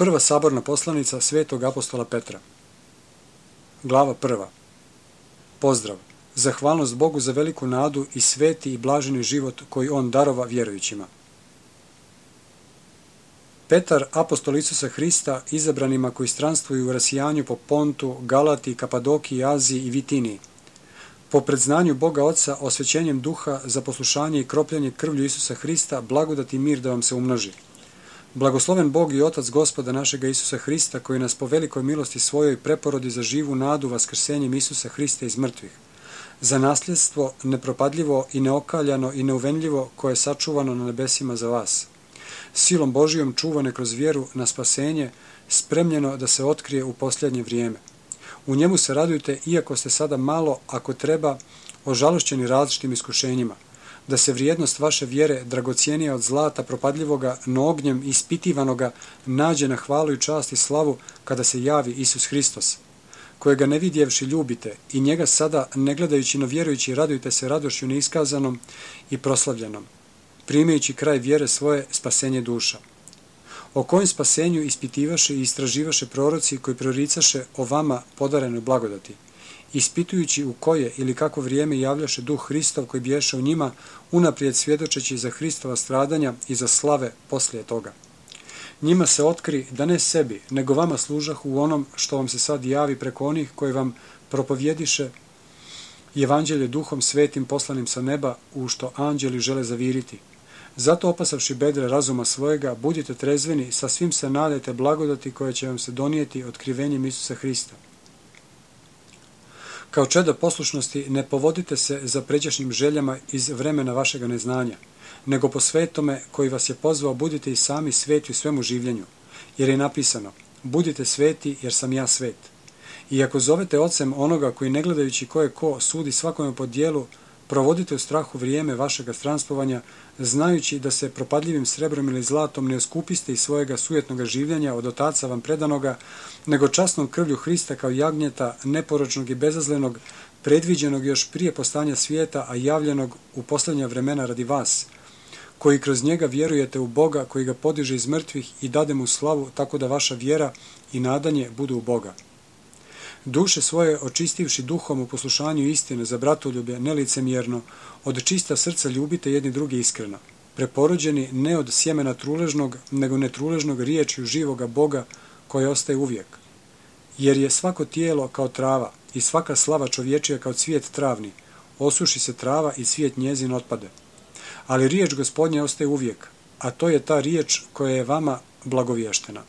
Prva saborna poslanica svetog apostola Petra. Glava 1. Pozdrav. Zahvalnost Bogu za veliku nadu i sveti i blaženi život koji On darova vjerujućima. Petar, apostol Isusa Hrista, izabranima koji stranstvuju u rasijanju po Pontu, Galati, Kapadokiji, Aziji i Vitiniji. Po predznanju Boga Oca, osvećenjem duha za poslušanje i kropljanje krvlju Isusa Hrista, blagodat i mir da vam se umnoži. Blagosloven Bog i Otac Gospoda našega Isusa Hrista, koji nas po velikoj milosti svojoj preporodi za živu nadu vaskrsenjem Isusa Hrista iz mrtvih, za nasljedstvo nepropadljivo i neokaljano i neuvenljivo koje je sačuvano na nebesima za vas. Silom Božijom čuvane kroz vjeru na spasenje, spremljeno da se otkrije u posljednje vrijeme. U njemu se radujte, iako ste sada malo, ako treba, ožalošćeni različitim iskušenjima, da se vrijednost vaše vjere, dragocijenija od zlata propadljivoga, no ognjem ispitivanoga, nađe na hvalu i čast i slavu kada se javi Isus Hristos, kojega ne vidjevši ljubite i njega sada, ne gledajući no vjerujući, radujte se radošću neiskazanom i proslavljenom, primajući kraj vjere svoje spasenje duša. O kojem spasenju ispitivaše i istraživaše proroci koji proricaše o vama podarenoj blagodati, ispitujući u koje ili kako vrijeme javljaše duh Hristov koji bješe u njima, unaprijed svjedočeći za Hristova stradanja i za slave poslije toga. Njima se otkri da ne sebi, nego vama služah u onom što vam se sad javi preko onih koji vam propovjediše evanđelje duhom svetim poslanim sa neba, u što anđeli žele zaviriti. Zato opasavši bedre razuma svojega, budite trezveni, sa svim se nadajte blagodati koje će vam se donijeti otkrivenjem Isusa Hrista. Kao čeda poslušnosti ne povodite se za pređašnjim željama iz vremena vašega neznanja, nego po svetome koji vas je pozvao budite i sami sveti u svemu življenju, jer je napisano, budite sveti jer sam ja svet. I ako zovete ocem onoga koji ne gledajući ko je ko sudi svakome po dijelu, provodite u strahu vrijeme vašega stranstvovanja, znajući da se propadljivim srebrom ili zlatom ne oskupiste iz svojega sujetnoga življenja od otaca vam predanoga, nego časnom krvlju Hrista kao jagnjeta, neporočnog i bezazlenog, predviđenog još prije postanja svijeta, a javljenog u posljednja vremena radi vas, koji kroz njega vjerujete u Boga, koji ga podiže iz mrtvih i dade mu slavu, tako da vaša vjera i nadanje budu u Boga. Duše svoje očistivši duhom u poslušanju istine za bratoljublje nelicemjerno, od čista srca ljubite jedni drugi iskreno, preporođeni ne od sjemena truležnog, nego netruležnog riječju živoga Boga koje ostaje uvijek. Jer je svako tijelo kao trava i svaka slava čovječija kao cvijet travni, osuši se trava i cvijet njezin otpade. Ali riječ Gospodnja ostaje uvijek, a to je ta riječ koja je vama blagovještena.